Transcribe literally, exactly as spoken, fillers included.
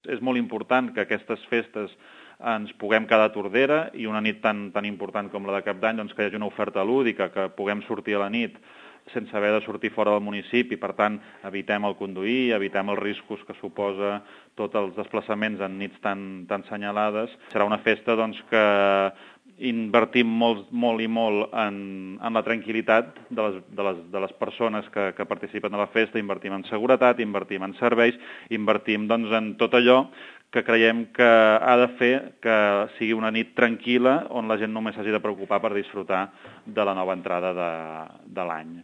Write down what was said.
és molt important que aquestes festes ens puguem quedar a Tordera i una nit tan, tan important com la de Cap d'Any, doncs que hi hagi una oferta lúdica, que puguem sortir a la nit sense haver de sortir fora del municipi, per tant, evitem el conduir, evitem els riscos que suposa tots els desplaçaments en nits tan, tan senyalades. Serà una festa doncs, que invertim molt, molt i molt en, en la tranquil·litat de les, de les, de les persones que, que participen de la festa, invertim en seguretat, invertim en serveis, invertim doncs, en tot allò que creiem que ha de fer que sigui una nit tranquil·la on la gent només s'hagi de preocupar per disfrutar de la nova entrada de, de l'any.